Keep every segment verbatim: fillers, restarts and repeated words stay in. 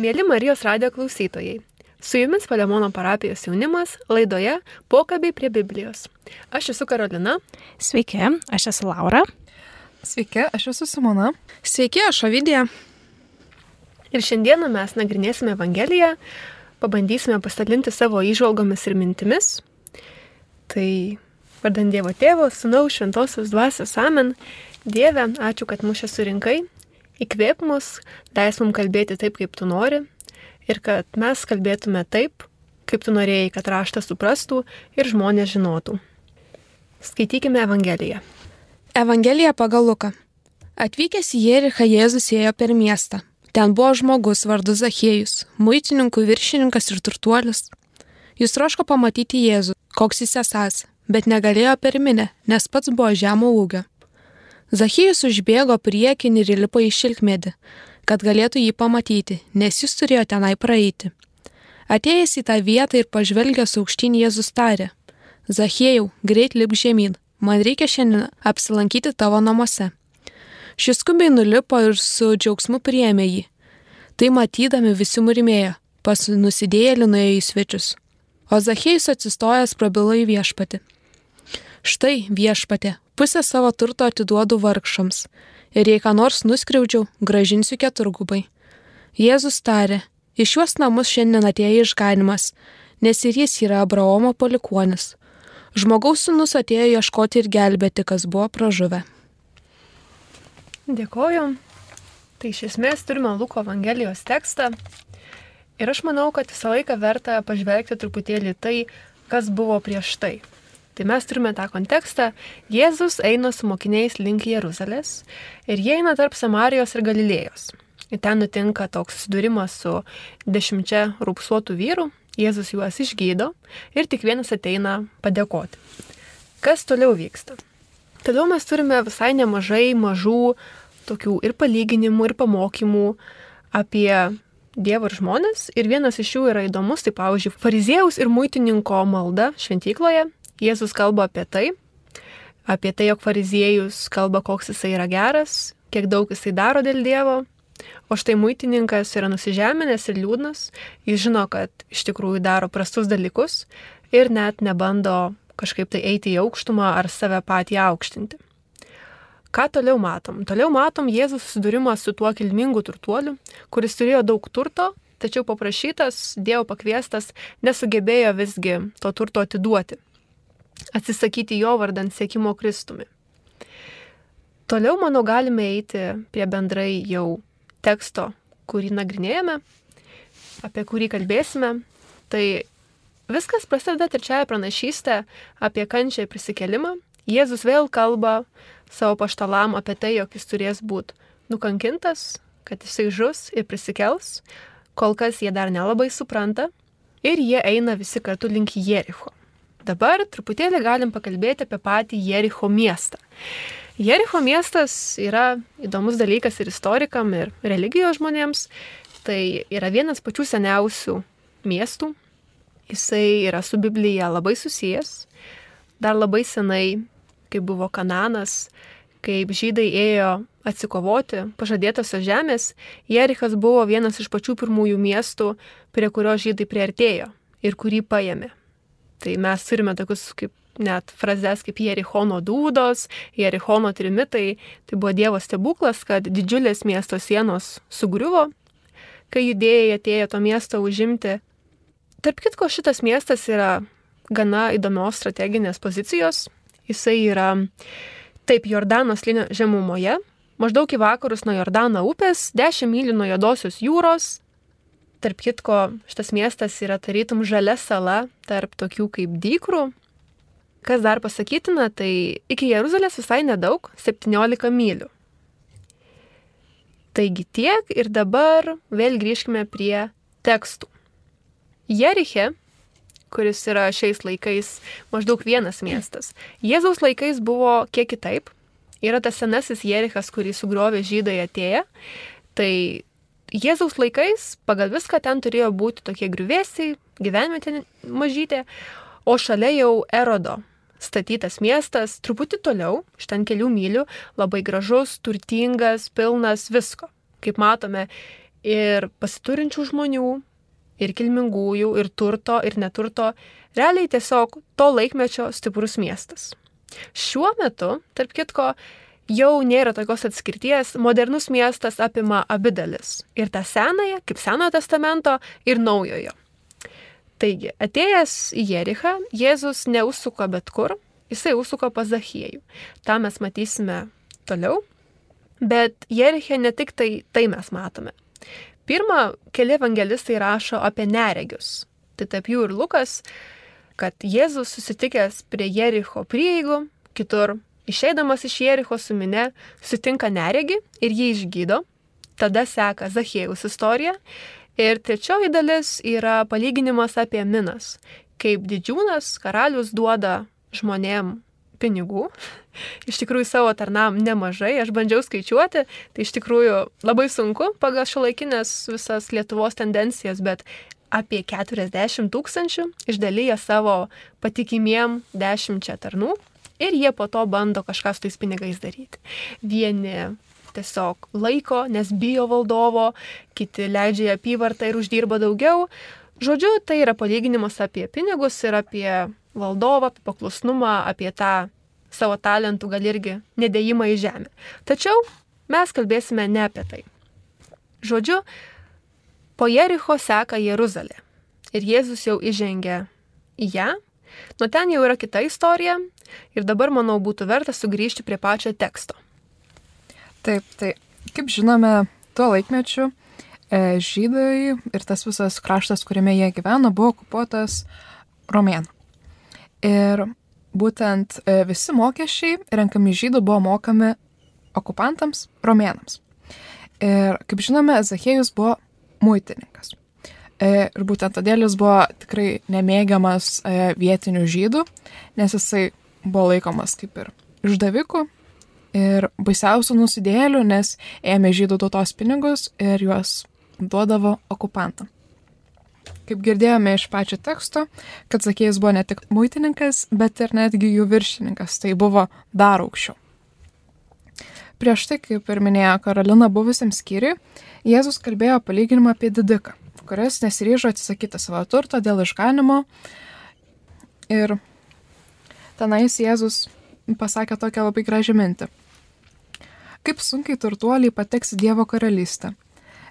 Mėly Marijos radijo klausytojai, su jumis Palemono parapijos jaunimas laidoje Pokalbiai prie Biblijos. Aš esu Karolina. Sveiki, aš esu Laura. Sveiki, aš esu Simona. Sveiki, aš Ovidija. Ir šiandieną mes nagrinėsime Evangeliją, pabandysime pasidalinti savo įžvalgomis ir mintimis. Tai vardan Dievo Tėvo, Sūnaus, Šventosios Dvasios, amen. Dieve, ačiū, kad mus čia surinkai. Įkvėp mus, leis mums kalbėti taip, kaip tu nori, ir kad mes kalbėtume taip, kaip tu norėjai, kad raštas suprastų ir žmonės žinotų. Skaitykime Evangeliją. Evangelija pagal Luką. Atvykęs į Jerichą, Jėzus ėjo per miestą. Ten buvo žmogus vardu Zachiejus, muitininkų viršininkas ir turtuolis. Jis troško pamatyti Jėzų, koks jis esąs, bet negalėjo per minią, nes pats buvo žemo ūgio. Zachiejus užbėgo priekin ir įlipo į šilkmedį, kad galėtų jį pamatyti, nes jis turėjo tenai praeiti. Atėjęs į tą vietą ir pažvelgęs aukštyn, Jėzus tarė: Zachiejau, greit lipk žemyn, man reikia šiandien apsilankyti tavo namuose. Šis skubiai nulipo ir su džiaugsmu priėmė jį. Tai matydami visi murmėjo, pas nusidėjėlį nuėjo į svečius. O Zachiejus atsistojęs prabilo į viešpatį: Štai, viešpatė, pusę savo turto atiduodu vargšams, ir jei ką nors nuskriaudžiau, gražinsiu keturgubai. Jėzus tarė: Iš šiuos namus šiandien atėjo išganymas, nes ir jis yra Abraomo palikuonis. Žmogaus sūnus atėjo ieškoti ir gelbėti, kas buvo pražuvę. Dėkoju. Tai iš esmės turime Luko Evangelijos tekstą. Ir aš manau, kad visą laiką verta pažvelgti truputėlį tai, kas buvo prieš tai. Tai mes turime tą kontekstą. Jėzus eina su mokiniais link Jeruzalės ir jie eina tarp Samarijos ir Galilėjos. Ir ten nutinka toks susidūrimas su dešimčia raupsuotų vyrų. Jėzus juos išgydo ir tik vienas ateina padėkoti. Kas toliau vyksta? Toliau mes turime visai nemažai mažų tokių ir palyginimų, ir pamokymų apie Dievą ir žmonės. Ir vienas iš jų yra įdomus, tai pavyzdžiui, fariziejaus ir muitininko malda šventykloje. Jėzus kalba apie tai, apie tai, jog fariziejus kalba, koks jisai yra geras, kiek daug jisai daro dėl Dievo, o štai muitininkas yra nusižeminęs ir liūdnas, jis žino, kad iš tikrųjų daro prastus dalykus ir net nebando kažkaip tai eiti į aukštumą ar save patį aukštinti. Ką toliau matom? Toliau matom Jėzus susidūrimą su tuo kilmingu turtuoliu, kuris turėjo daug turto, tačiau paprašytas, Dievo pakviestas, nesugebėjo visgi to turto atiduoti. Atsisakyti jo vardan sekimo Kristumi. Toliau, manau, galime eiti prie bendrai jau teksto, kurį nagrinėjame, apie kurį kalbėsime. Tai viskas prasideda trečiąją pranašystę apie kančią ir prisikėlimą. Jėzus vėl kalba savo paštalam apie tai, jog jis turės būti nukankintas, kad jisai žus ir prisikels. Kol kas jie dar nelabai supranta ir jie eina visi kartu link Jericho. Dabar truputėlį galim pakalbėti apie patį Jericho miestą. Jericho miestas yra įdomus dalykas ir istorikam, ir religijos žmonėms. Tai yra vienas pačių seniausių miestų. Jisai yra su Biblija labai susijęs. Dar labai senai, kai buvo Kananas, kaip žydai ėjo atsikovoti pažadėtosios žemės, Jerichas buvo vienas iš pačių pirmųjų miestų, prie kurio žydai priartėjo ir kurį paėmė. Tai mes turime tokius kaip net frazes kaip Jerichono dūdos, Jerichono trimitai. Tai buvo Dievo stebuklas, kad didžiulės miesto sienos sugriuvo, kai judėjai atėjo to miesto užimti. Tarp kitko, šitas miestas yra gana įdomios strateginės pozicijos. Jisai yra taip Jordano slėnio žemumoje, maždaug į vakarus nuo Jordano upės, dešimt mylių nuo Juodosios jūros. Tarp kitko, šitas miestas yra tarytum žalia sala tarp tokių kaip dykrų. Kas dar pasakytina, tai iki Jeruzalės visai nedaug, septyniolika mylių. Taigi tiek ir dabar vėl grįžkime prie tekstų. Jeriche, kuris yra šiais laikais maždaug vienas miestas, Jėzaus laikais buvo kiek kitaip. Yra tas senasis Jerichas, kurį sugriovė žydai atėję. Tai Jėzaus laikais pagal viską ten turėjo būti tokie griuvėsiai, gyvenvietė mažytė, o šalia jau Erodo statytas miestas, truputį toliau, iš ten kelių mylių, labai gražus, turtingas, pilnas visko. Kaip matome, ir pasiturinčių žmonių, ir kilmingųjų, ir turto, ir neturto, realiai tiesiog to laikmečio stiprus miestas. Šiuo metu, tarp kitko, jau nėra tokios atskirties, modernus miestas apima abi dalis. Ir tą senąją, kaip Senojo testamento, ir naujojo. Taigi, atėjęs į Jerichą, Jėzus neužsuko bet kur, jisai užsuko pas Zachiejų. Ta mes matysime toliau, bet Jeriche ne tik tai, tai mes matome. Pirma, keli evangelistai rašo apie neregius. Tai tarp jų ir Lukas, kad Jėzus susitikęs prie Jericho prieigų, kitur išeidamas iš Jericho su mine, sutinka neregį ir jį išgydo. Tada seka Zachiejaus istorija. Ir trečioji dalis yra palyginimas apie minas, kaip didžiūnas, karalius duoda žmonėm pinigų. Iš tikrųjų savo tarnam nemažai, aš bandžiau skaičiuoti, tai iš tikrųjų labai sunku pagal šiuolaikinės visas Lietuvos tendencijas, bet apie keturiasdešimt tūkstančių išdalyja savo patikimiem dešimčia tarnų ir jie po to bando kažką su tais pinigais daryti. Vieni tiesiog laiko, nes bijo valdovo, kiti leidžia į apyvartą ir uždirba daugiau. Žodžiu, tai yra palyginimas apie pinigus ir apie valdovą, apie paklusnumą, apie tą savo talentų gal irgi nedėjimą į žemę. Tačiau mes kalbėsime ne apie tai. Žodžiu, po Jericho seka Jeruzalė ir Jėzus jau įžengia į ją. Nuo ten jau yra kita istorija ir dabar, manau, būtų verta sugrįžti prie pačio teksto. Taip, tai kaip žinome, tuo laikmečiu e, žydai ir tas visas kraštas, kuriame jie gyveno, buvo okupuotas romėnų. Ir būtent e, visi mokesčiai renkami žydų buvo mokami okupantams romėnams. Ir kaip žinome, Zachiejus buvo muitininkas. E, ir būtent todėl jis buvo tikrai nemėgiamas e, vietinių žydų, nes jisai buvo laikomas kaip ir išdaviku ir baisiausių nusidėjėlių, nes ėmė žydų tautos pinigus ir juos duodavo okupantam. Kaip girdėjome iš pačio teksto, kad Zachiejus buvo ne tik muitininkas, bet ir netgi jų viršininkas, tai buvo dar aukščiau. Prieš tai, kaip ir minėjo Karolina buvusiam skyriui, Jėzus kalbėjo palyginimą apie didiką, kuris nesiryžo atsisakyti savo turto dėl išganimo. Ir tenais Jėzus pasakė tokią labai gražią mintį. Kaip sunkiai turtuoliai pateks į Dievo karalystę.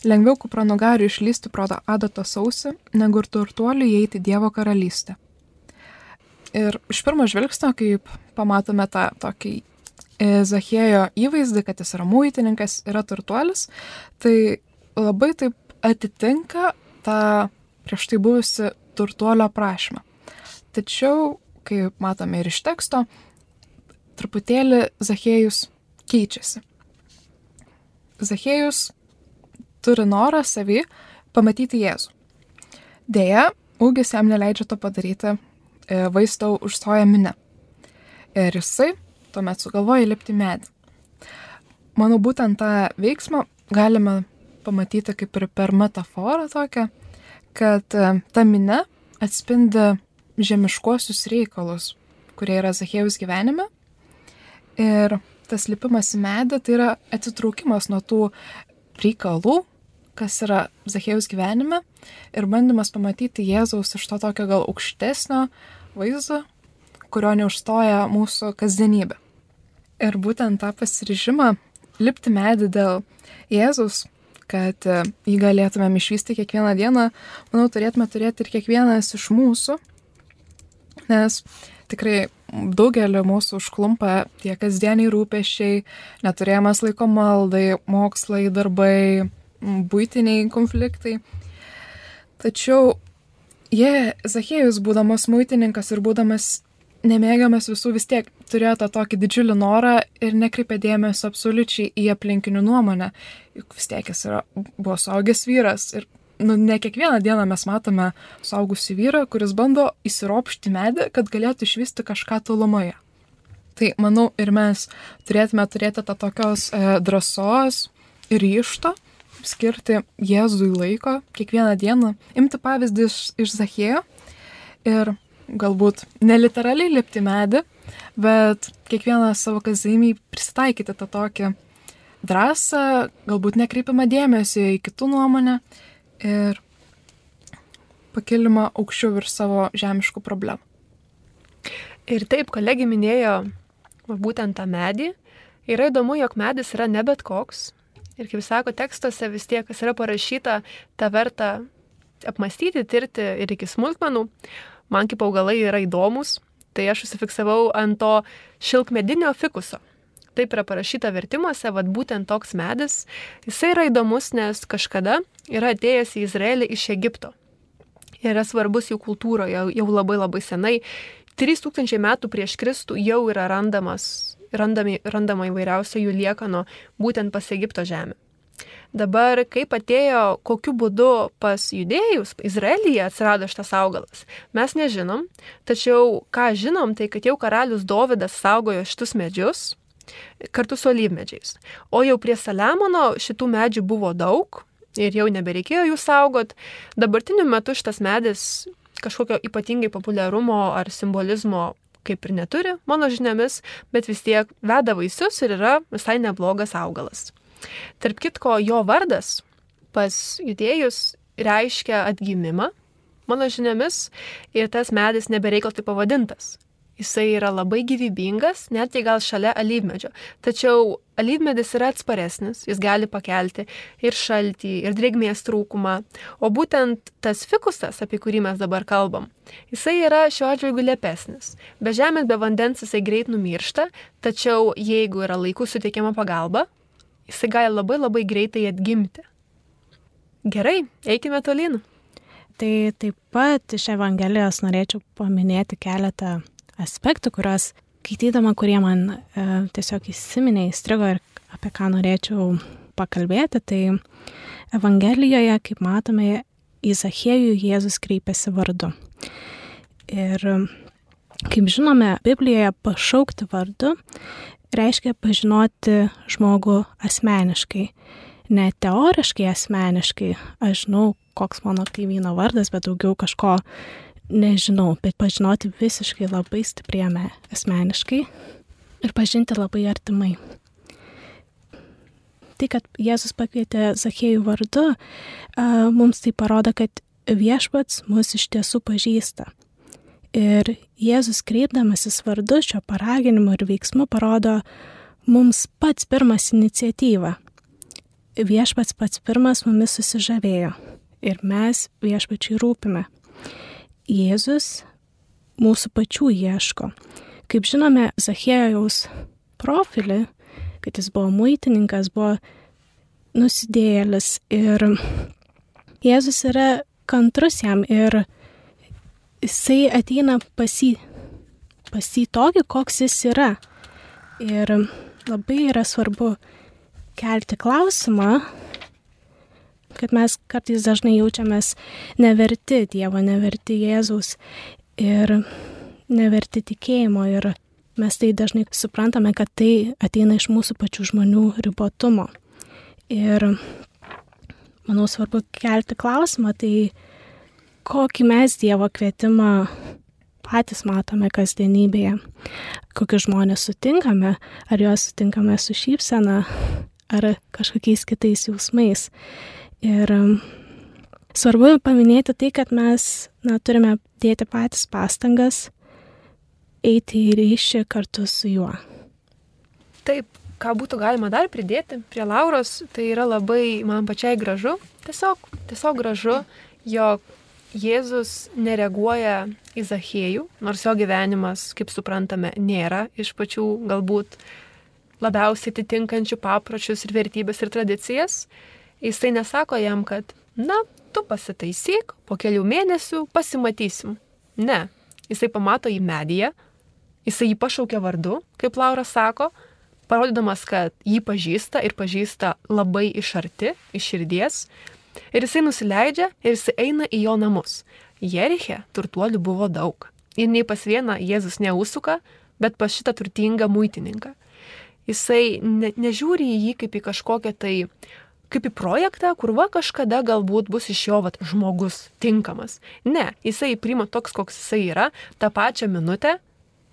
Lengviau kupranugariui išlysti pro adatos ausį, negu ir turtuoliui įeiti į Dievo karalystę. Ir iš pirmo žvilgsnio, kaip pamatome tą tokį Zachiejo įvaizdį, kad jis yra muitininkas, yra turtuolis, tai labai taip atitinka tą prieš tai buvusi turtuolio prašymą. Tačiau, kaip matome ir iš teksto, truputėlį Zachiejus keičiasi. Zachiejus turi norą savį pamatyti Jėzų. Deja, ūgis jam neleidžia to padaryti, vaizdą užstoja minia. Ir jisai tuomet sugalvoja lipti medį. Manau, būtent tą veiksmą galime pamatyti kaip ir per metaforą tokią, kad ta minia atspindi žemiškuosius reikalus, kurie yra Zachiejaus gyvenime. Ir tas lipimas į medį tai yra atsitraukimas nuo tų reikalų, kas yra Zachiejaus gyvenime, ir bandymas pamatyti Jėzaus iš to tokio gal aukštesnio vaizdo, kurio neužstoja mūsų kasdienybė. Ir būtent tą pasiryžimą lipti medį dėl Jėzaus, kad jį galėtumėm išvysti kiekvieną dieną, manau, turėtume turėti ir kiekvienas iš mūsų, nes tikrai daugelį mūsų užklumpa tie kasdieniai rūpesčiai, neturėjimas laiko maldai, mokslai, darbai, buitiniai konfliktai. Tačiau jie, Zachiejus, būdamas muitininkas ir būdamas nemėgiamas visų, vis tiek turėjo tą tokį didžiulį norą ir nekreipė dėmesio absoliučiai į aplinkinių nuomonę. Juk vis tiek jis yra, buvo suaugęs vyras ir nu, ne kiekvieną dieną mes matome suaugusį vyrą, kuris bando įsiropšti medį, kad galėtų išvysti kažką tolumoje. Tai manau ir mes turėtume turėti tą tokios e, drąsos ir ryžto skirti Jėzui laiko kiekvieną dieną, imti pavyzdį iš, iš Zachiejo ir galbūt neliteraliai lipti medį, bet kiekvieną savo kasdienį prisitaikyti tą tokį drąsą, galbūt nekreipiamą dėmesį į kitų nuomonę ir pakilimą aukščiau virš savo žemiškų problemų. Ir taip, kolegė minėjo va, būtent tą medį. Yra įdomu, jog medis yra ne bet koks. Ir kaip sako tekstuose, vis tiek, kas yra parašyta, tą verta apmastyti, tirti ir iki smulkmenų. Man kaip augalai yra įdomus, tai aš užsifiksavau ant to šilkmedinio fikuso. Taip yra parašyta vertimuose, vad būtent toks medis. Jisai yra įdomus, nes kažkada yra atėjęs į Izraelį iš Egipto. Ir yra svarbus jų kultūroje jau labai labai senai. trys tūkstančiai metų prieš Kristų jau yra randamas, randami, randama įvairiausio jų liekano būtent pas Egipto žemę. Dabar, kaip atėjo, kokiu būdu pas judėjus, Izraelyje atsirado šitas augalas, mes nežinom, tačiau ką žinom, tai kad jau karalius Dovydas saugojo šitus medžius kartu su alyvmedžiais. O jau prie Saliamono šitų medžių buvo daug ir jau nebereikėjo jų saugot. Dabartiniu metu šitas medis kažkokio ypatingai populiarumo ar simbolizmo kaip ir neturi, mano žiniomis, bet vis tiek veda vaisius ir yra visai neblogas augalas. Tarp kitko, jo vardas pas judėjus reiškia atgimimą, mano žiniomis, ir tas medis nebereikal taip pavadintas. Jisai yra labai gyvybingas, net jei gal šalia alyvmedžio. Tačiau alyvmedis yra atsparesnis, jis gali pakelti ir šaltį, ir drėgmės trūkumą. O būtent tas fikusas, apie kurį mes dabar kalbam, jisai yra šiuo atžvilgiu lepesnis. Be žemės, be vandens jisai greit numiršta, tačiau jeigu yra laiku suteikiama pagalba, jisai gali labai labai greitai atgimti. Gerai, eikime tolyn. Tai taip pat iš Evangelijos norėčiau paminėti keletą aspektų, kurios skaitydama, kurie man e, tiesiog įsiminė, įstrigo ir apie ką norėčiau pakalbėti. Tai Evangelijoje, kaip matome, į Zachiejų Jėzus kreipiasi vardu. Ir kaip žinome, Biblijoje pašaukti vardu reiškia pažinoti žmogų asmeniškai. Ne teoriškai asmeniškai, aš žinau, koks mano kaimyno vardas, bet daugiau kažko nežinau, bet pažinoti visiškai labai stipriame asmeniškai ir pažinti labai artimai. Tai, kad Jėzus pakvietė Zachiejų vardu, mums tai parodo, kad viešpats mus iš tiesų pažįsta. Ir Jėzus kreipdamasis vardu šio paraginimu ir veiksmu parodo mums pats pirmas iniciatyvą. Viešpats pats pirmas mumis susižavėjo ir mes viešpačiui rūpime. Jėzus mūsų pačių ieško. Kaip žinome, Zachiejaus profilį, kad jis buvo muitininkas, buvo nusidėjėlis ir Jėzus yra kantrus jam ir jisai ateina pas jį, pas jį tokį, koks jis yra. Ir labai yra svarbu kelti klausimą, kad mes kartais dažnai jaučiamės neverti Dievo, neverti Jėzaus ir neverti tikėjimo. Ir mes tai dažnai suprantame, kad tai ateina iš mūsų pačių žmonių ribotumo. Ir manau svarbu kelti klausimą, tai kokį mes Dievo kvietimą patys matome kasdienybėje. Kokius žmonės sutinkame, ar juos sutinkame su šypsena, ar kažkokiais kitais jausmais. Ir svarbu paminėti tai, kad mes na, turime dėti patys pastangas, eiti į ryšį kartu su juo. Taip, ką būtų galima dar pridėti prie Lauros, tai yra labai man pačiai gražu, tiesiog, tiesiog gražu, jog Jėzus nereaguoja į Zachiejų, nors jo gyvenimas, kaip suprantame, nėra iš pačių galbūt labiausiai atitinkančių papročius ir vertybės ir tradicijas. Jisai nesako jam, kad, na, tu pasitaisyk, po kelių mėnesių pasimatysim. Ne, jisai pamato į medyje, jisai jį pašaukia vardu, kaip Laura sako, parodydamas, kad jį pažįsta ir pažįsta labai iš arti, iš širdies. Ir jisai nusileidžia ir jisai eina į jo namus. Jeriche turtuolių buvo daug. Ir nei pas vieną Jėzus neusuka, bet pas šitą turtingą muitininką. Jisai ne, nežiūri į jį kaip į kažkokią tai, kaip į projektą, kur va kažkada galbūt bus iš jo vat, žmogus tinkamas. Ne, jisai priima toks, koks jisai yra, tą pačią minutę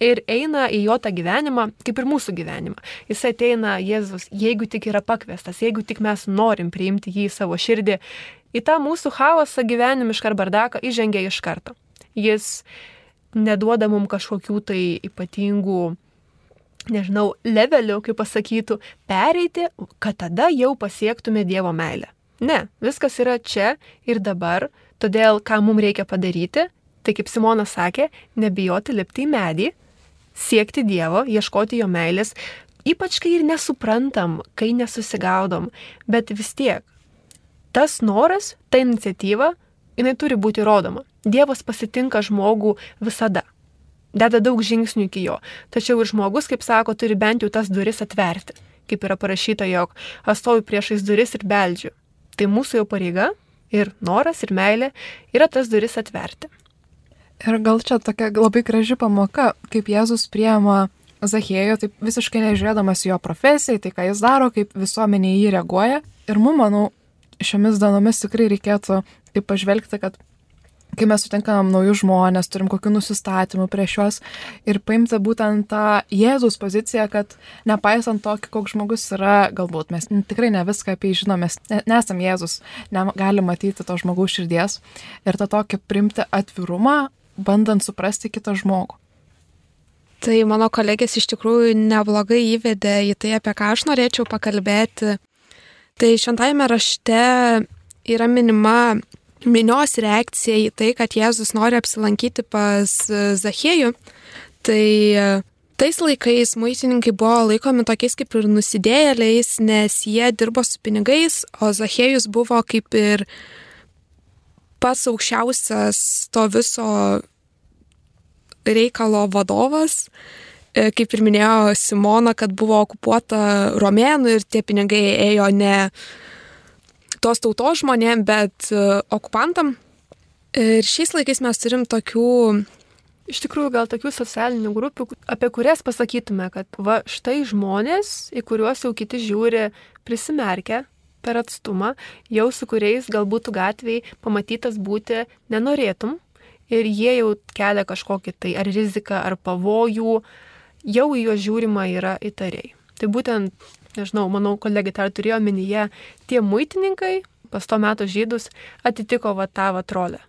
ir eina į jo tą gyvenimą, kaip ir mūsų gyvenimą. Jis ateina, Jėzus, jeigu tik yra pakviestas, jeigu tik mes norim priimti jį į savo širdį, į tą mūsų chaosą gyvenimišką ar bardaką įžengia iš karto. Jis neduoda mums kažkokių tai ypatingų, nežinau, levelių, kaip pasakytų, pereiti, kad tada jau pasiektume Dievo meilę. Ne, viskas yra čia ir dabar, todėl ką mums reikia padaryti, tai kaip Simonas sakė, nebijoti lipti į medį, siekti Dievo, ieškoti jo meilės, ypač kai ir nesuprantam, kai nesusigaudom, bet vis tiek tas noras, ta iniciatyva, jinai turi būti rodoma. Dievas pasitinka žmogų visada. Deda daug žingsnių iki jo. Tačiau ir žmogus, kaip sako, turi bent jau tas duris atverti. Kaip yra parašyta, jog aš stoviu priešais duris ir beldžiu. Tai mūsų jau pareiga ir noras ir meilė yra tas duris atverti. Ir gal čia tokia labai graži pamoka, kaip Jėzus priima Zachiejų, taip visiškai nežiūrėdamas jo profesijai, tai ką jis daro, kaip visuomenė jį reaguoja. Ir mums, manau, šiomis dienomis tikrai reikėtų taip pažvelgti, kad kai mes sutinkam naujus žmonės, turim kokių nusistatymų prieš juos ir paimti būtent tą Jėzaus poziciją, kad nepaisant to, koks žmogus yra, galbūt mes tikrai ne viską apie jį žinom, mes nesam Jėzus, negali matyti to žmogaus širdies ir tą tokį priimti atvirumą, bandant suprasti kitą žmogų. Tai mano kolegės iš tikrųjų neblogai įvedė į tai, apie ką aš norėčiau pakalbėti. Tai šventajame rašte yra minima minios reakcija į tai, kad Jėzus nori apsilankyti pas Zachiejų. Tai tais laikais muitininkai buvo laikomi tokiais kaip ir nusidėjėliais, nes jie dirbo su pinigais, o Zachiejus buvo kaip ir pats aukščiausias to viso reikalo vadovas. Kaip ir minėjo Simona, kad buvo okupuota romėnų ir tie pinigai ėjo ne tos tautos žmonėm, bet okupantam. Ir šiais laikais mes turim tokių, iš tikrųjų, gal tokių socialinių grupių, apie kurias pasakytume, kad va štai žmonės, į kuriuos jau kiti žiūri prisimerkę per atstumą, jau su kuriais galbūt gatvėj pamatytas būti nenorėtum ir jie jau kelia kažkokį tai ar riziką, ar pavojų, jau į juos žiūrima yra įtariai. Tai būtent, nežinau, manau, kolegė dar turėjo omenyje, tie muitininkai pas to meto žydus atitiko va tą va rolę,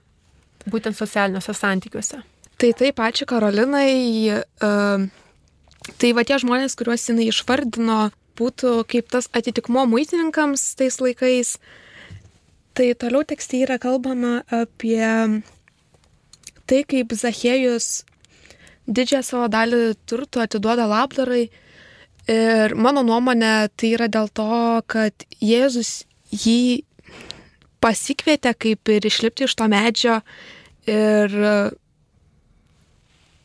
būtent socialiniuose santykiuose. Tai taip, ačiū Karolinai. Tai va tie žmonės, kuriuos jinai išvardino, būtų kaip tas atitikmuo muitininkams tais laikais. Tai toliau tekste yra kalbama apie tai, kaip Zachiejus didžiąją savo dalį turtų atiduoda labdarai. Ir mano nuomonė tai yra dėl to, kad Jėzus jį pasikvietė kaip ir išlipti iš to medžio ir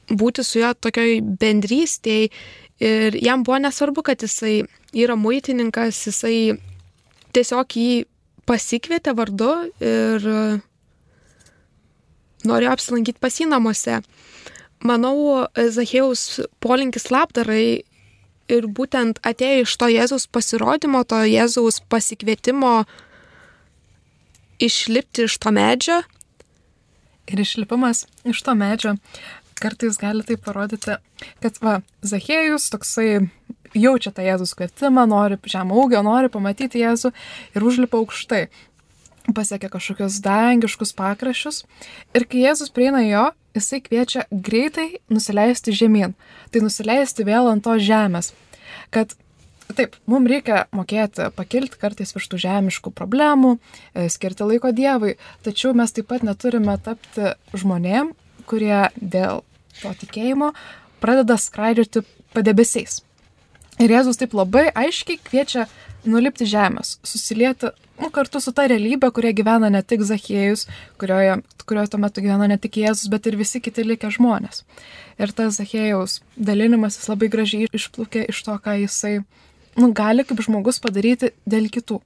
būti su juo tokioj bendrystėj. Ir jam buvo nesvarbu, kad jisai yra muitininkas, jisai tiesiog jį pasikvietė vardu ir norėjo apsilankyti pas jį namuose. Manau, Zachiejaus polinkis labdarai ir būtent atėjo iš to Jėzaus pasirodymo, to Jėzaus pasikvietimo išlipti iš to medžio. Ir išlipimas iš to medžio kartais gali tai parodyti, kad va, Zachiejus toksai jaučia tą Jėzaus kvietimą, nori žemo ūgio, nori pamatyti Jėzų ir užlipa aukštai. Pasiekia kažkokius dangiškus pakraščius ir kai Jėzus prieina jo, jisai kviečia greitai nusileisti žemyn, tai nusileisti vėl ant to žemės, kad taip, mums reikia mokėti pakilti kartais virš tų žemiškų problemų, skirti laiko Dievui, tačiau mes taip pat neturime tapti žmonėm, kurie dėl to tikėjimo pradeda skraidžioti padebesiais. Ir Jėzus taip labai aiškiai kviečia nulipti žemės, susilieti nu, kartu su ta realybė, kurioje gyvena ne tik Zachiejus, kurioje, kurioje tuo metu gyvena ne tik Jėzus, bet ir visi kiti likę žmonės. Ir tas Zachiejaus dalinimas jis labai gražiai išplūkė iš to, ką jisai nu, gali kaip žmogus padaryti dėl kitų.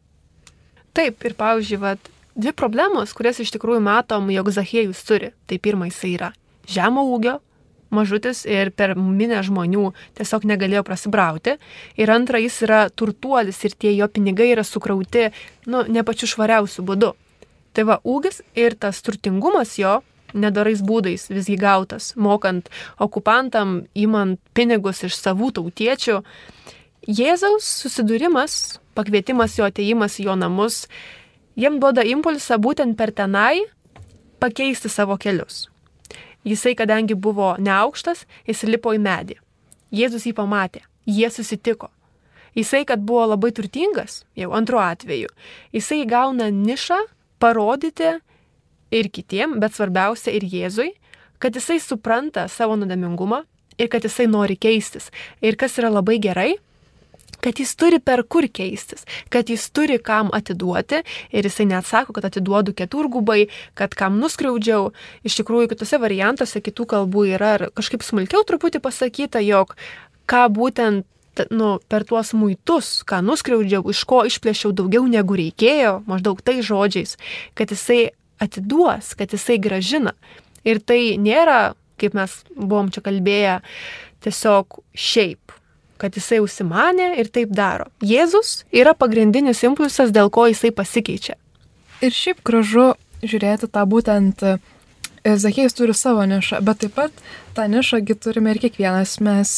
Taip, ir pavyzdžiui, vat, dvi problemos, kurias iš tikrųjų matom, jog Zachiejus turi. Tai pirma, jisai yra žemo ūgio, mažutis ir per minę žmonių tiesiog negalėjo prasibrauti. Ir antra, jis yra turtuolis ir tie jo pinigai yra sukrauti, nu, ne pačiu švariausiu būdu. Tai va, ūgis ir tas turtingumas jo nedorais būdais visgi gautas, mokant okupantam, imant pinigus iš savų tautiečių. Jėzaus susidūrimas, pakvietimas jo atėjimas į jo namus, jiem duoda impulsą būtent per tenai pakeisti savo kelius. Jisai, kadangi buvo neaukštas, jis lipo į medį. Jėzus jį pamatė, jie susitiko. Jisai, kad buvo labai turtingas, jau antru atveju, jisai gauna nišą parodyti ir kitiem, bet svarbiausia ir Jėzui, kad jisai supranta savo nuodėmingumą ir kad jisai nori keistis. Ir kas yra labai gerai, kad jis turi per kur keistis, kad jis turi kam atiduoti ir jisai neatsako, kad atiduodu keturgubai, kad kam nuskriaudžiau. Iš tikrųjų, kitose variantuose kitų kalbų yra kažkaip smulkiau truputį pasakyta, jog ką būtent nu, per tuos muitus, ką nuskriaudžiau, iš ko išplėšiau daugiau negu reikėjo, maždaug tai žodžiais, kad jisai atiduos, kad jisai gražina. Ir tai nėra, kaip mes buvom čia kalbėję, tiesiog šiaip, kad jisai užsimanė ir taip daro. Jėzus yra pagrindinis impulsas, dėl ko jisai pasikeičia. Ir šiaip gražu žiūrėti tą būtent, Zachiejus turi savo nišą, bet taip pat tą nišągi turime ir kiekvienas mes.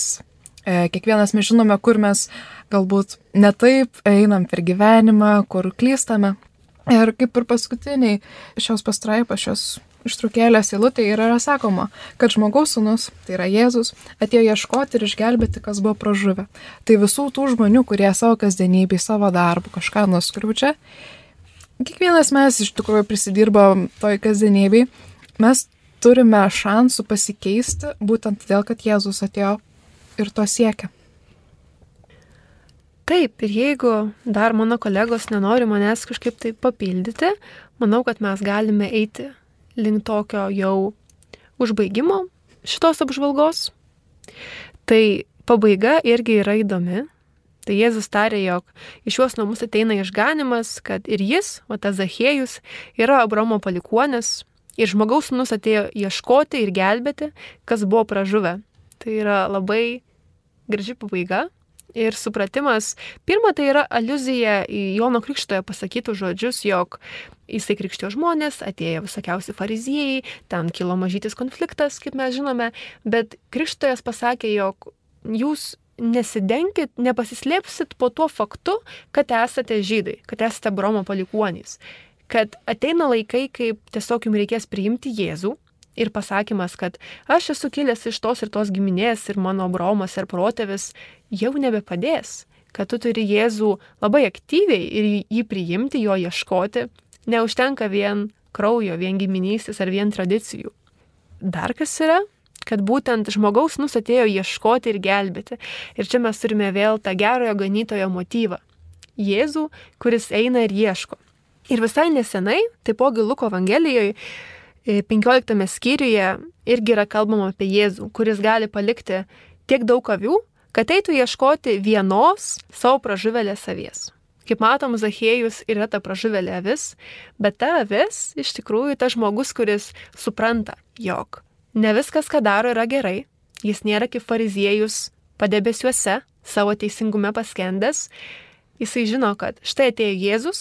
Kiekvienas mes žinome, kur mes galbūt netaip einam per gyvenimą, kur klystame. Ir kaip ir paskutiniai šios pastraipos, šios ištraukėlės eilutė yra sakoma, kad žmogaus sūnus, tai yra Jėzus, atėjo ieškoti ir išgelbėti, kas buvo pražuvę. Tai visų tų žmonių, kurie savo kasdienybėj, savo darbų kažką nuskriaudžia, kiekvienas mes iš tikrųjų prisidirbam toj kasdienybėj, mes turime šansų pasikeisti būtent todėl, kad Jėzus atėjo ir to siekia. Taip, ir jeigu dar mano kolegos nenori manęs kažkaip tai papildyti, manau, kad mes galime eiti link tokio jau užbaigimo šitos apžvalgos. Tai pabaiga irgi yra įdomi. Tai Jėzus tarė, jog iš šiuos namus ateina išganimas, kad ir jis, o tas Zachiejus, yra Abraomo palikuonis ir žmogaus sūnus atėjo ieškoti ir gelbėti, kas buvo pražuvę. Tai yra labai graži pabaiga ir supratimas. Pirma, tai yra aliuzija į Jono Krikštytojo pasakytus žodžius, jog jisai krikštijo žmonės, atėjo visokiausi fariziejai, ten kilo mažytis konfliktas, kaip mes žinome, bet Krikštytojas pasakė, jog jūs nesidenkit, nepasislėpsit po tuo faktu, kad esate žydai, kad esate Abraomo palikuonys, kad ateina laikai, kaip tiesiog jums reikės priimti Jėzų. Ir pasakymas, kad aš esu kilęs iš tos ir tos giminės ir mano Abraomas ir protėvis jau nebepadės, kad tu turi Jėzų labai aktyviai ir jį priimti, jo ieškoti. Neužtenka vien kraujo, vien giminystės ar vien tradicijų. Dar kas yra, kad būtent žmogaus sūnus atėjo ieškoti ir gelbėti. Ir čia mes turime vėl tą gerojo ganytojo motyvą. Jėzų, kuris eina ir ieško. Ir visai nesenai, taipogi Luko Evangelijoje, penkioliktame skyriuje irgi yra kalbama apie Jėzų, kuris gali palikti tiek daug avių, kad eitų ieškoti vienos savo pražuvėlės avies. Kaip matom, Zachiejus yra ta pražuvėlė avis, bet ta avis iš tikrųjų ta žmogus, kuris supranta, jog ne viskas, ką daro, yra gerai. Jis nėra kaip fariziejus padebesiuose, savo teisingume paskendęs. Jisai žino, kad štai atėjo Jėzus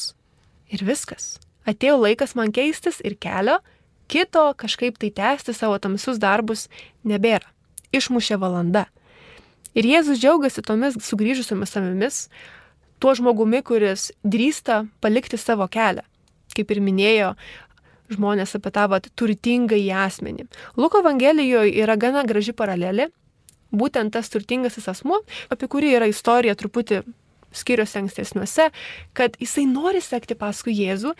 ir viskas. Atėjo laikas man keistis ir kelio kito kažkaip tai tęsti savo tamsius darbus nebėra. Išmušė valanda. Ir Jėzus džiaugiasi tomis sugrįžusiomis avimis, tuo žmogumi, kuris drįsta palikti savo kelią. Kaip ir minėjo žmonės apie tą vat, turtingą į asmenį. Luko Evangelijoje yra gana graži paralelė, būtent tas turtingasis asmuo, apie kurį yra istorija truputį skyriuose ankstesniuose, kad jisai nori sekti paskui Jėzų,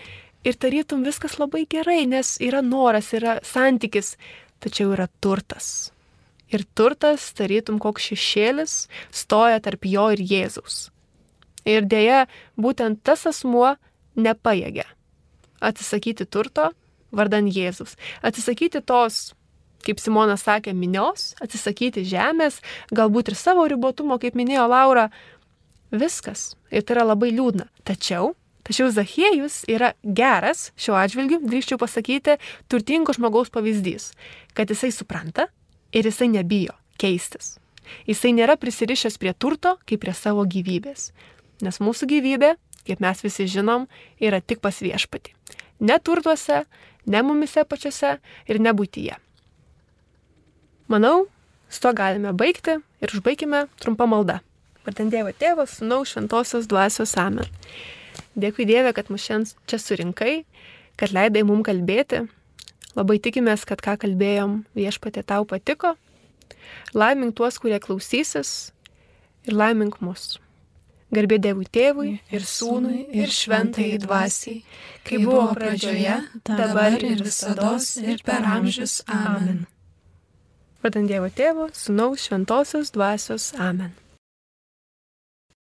ir tarytum viskas labai gerai, nes yra noras, yra santykis, tačiau yra turtas. Ir turtas, tarytum koks šešėlis, stoja tarp jo ir Jėzaus. Ir dėja, būtent tas asmuo nepajėgia atsisakyti turto vardan Jėzaus. Atsisakyti tos, kaip Simonas sakė, minios, atsisakyti žemės, galbūt ir savo ribotumo, kaip minėjo Laura, viskas. Ir tai yra labai liūdna. Tačiau Tačiau Zachiejus yra geras, šiuo atžvilgiu, drįsčiau pasakyti, turtingo žmogaus pavyzdys, kad jisai supranta ir jisai nebijo keistis. Jisai nėra prisirišęs prie turto, kaip prie savo gyvybės. Nes mūsų gyvybė, kaip mes visi žinom, yra tik pas viešpatį. Ne turtuose, ne mumise pačiose ir ne būtyje. Manau, su to galime baigti ir užbaigime trumpą maldą. Vardant Dievo Tėvo, Sūnaus, Šventosios Dvasios amen. Dėkui Dieve, kad mus šiandien čia surinkai, kad leidai mums kalbėti. Labai tikimės, kad ką kalbėjom Viešpatie tau patiko. Laimink tuos, kurie klausysis ir laimink mus. Garbė Dievui Tėvui ir Sūnui ir Šventajai Dvasiai, kai buvo pradžioje, dabar ir visados ir per amžius. Amen. Vardant Dievo Tėvo, Sūnaus, Šventosios Dvasios. Amen.